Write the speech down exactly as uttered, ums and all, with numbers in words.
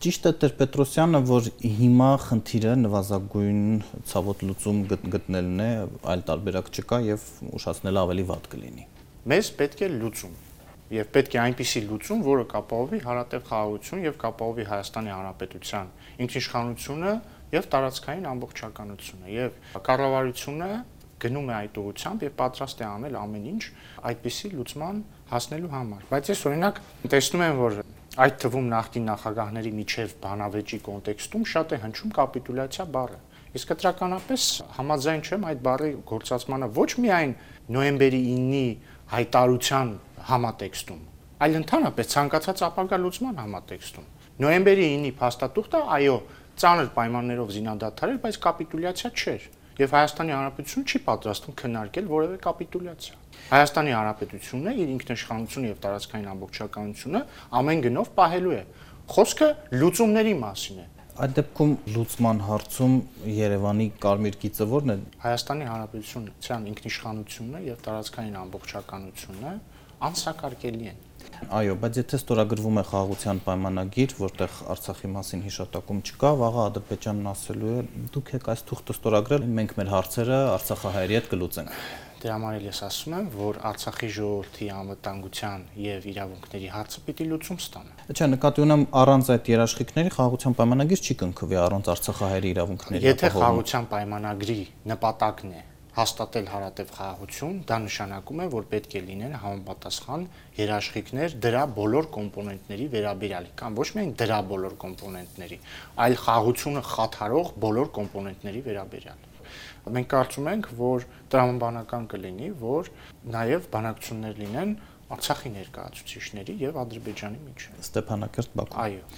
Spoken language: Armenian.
Ճիշտ է Տեր-Պետրոսյանը, որ հիմա խնդիրը նվազագույն ցավոտ լուծում գտնելն է, այլ տարբերակ չկա եւ ուշացնելը ավելի վատ կլինի։ Մեզ պետք է լուծում եւ պետք է այնպիսի լուծում, որը կապահովի հարատև խաղաղություն եւ կապահովի Հայաստանի Հանրապետության ինքնիշխանությունը եւ տարածքային ամբողջականությունը եւ կառավարությունը գնում է այդ ուղղությամբ եւ պատրաստ է անել ամեն ինչ այդպիսի լուծման հասնելու համար։ Բայց ես օրինակ տեսնում եմ, որ այդ թվում նախկին նախագահների միջև բանավեճի կոնտեքստում շատ է հնչում կապիտուլյացիա բառը։ Իսկ կտրականապես համաձայն չեմ այդ բառի գործածմանը ոչ միայն նոյեմբերի իննի հայտարարության համատեքստում, այլ ընդհանրապես ցանկացած ապագա լուծման համատեքստում։ Նոյեմբերի իննի փաստաթուղթը, այո, ծանր պայմաններով զինադադարել, բայց կապիտուլյացիա չէր։ Եվ Հայաստանի Հանրապետությունը չի պատրաստվում քննարկել որևէ կապիտուլյացիա։ Հայաստանի Հանրապետությունը իր ինքնիշխանությունը եւ տարածքային ամբողջականությունը ամեն գնով պահելու է։ Խոսքը լուծումների մասին է։ Այդ դեպքում լուծման հարցում Երևանի կարմիր գիծը ո՞րն է։ Հայաստանի Հանրապետության ինքնիշխանությունը եւ տարածքային ամբողջականությունը անսակարկելի են։ Այո, բայց եթե ստորագրվում է խաղաղության պայմանագիր, որտեղ Արցախի մասին հիշատակում չկա, վաղը Ադրբեջանն ասելու է՝ դուք եք այս թուղթը ստորագրել, մենք մեր հարցերը արցախահայերի հետ կլուծենք։ Դրա համար էլ ես ասում եմ, որ Արցախի ժողովրդի անվտանգության եւ իրավունքների հարցը պիտի լուծում ստանա։ Չէ, նկատի ունեմ առանց այդ երաշխիքների խաղաղության պայմանագիր չի կնքվի առանց արցախահայերի իրավունքների։ Եթե խաղաղության պայմանագրի նպատակն է հաստատել հարատև խաղաղություն, դա նշանակում է, որ պետք է լինեն համապատասխան երաշխիքներ դրա բոլոր կոմպոնենտների վերաբերյալ, կամ ոչ միայն դրա բոլոր կոմպոնենտների, այլ խաղաղությունը խաթարող բոլոր կոմպոնենտների վերաբերյալ։ Մենք կարծում ենք, որ տրամաբանական կլինի, որ նաև բանակցություններ լինեն Արցախի ներկայացուցիչների եւ Ադրբեջանի միջեւ։ Ստեփանակերտ Բաքու։ Այո։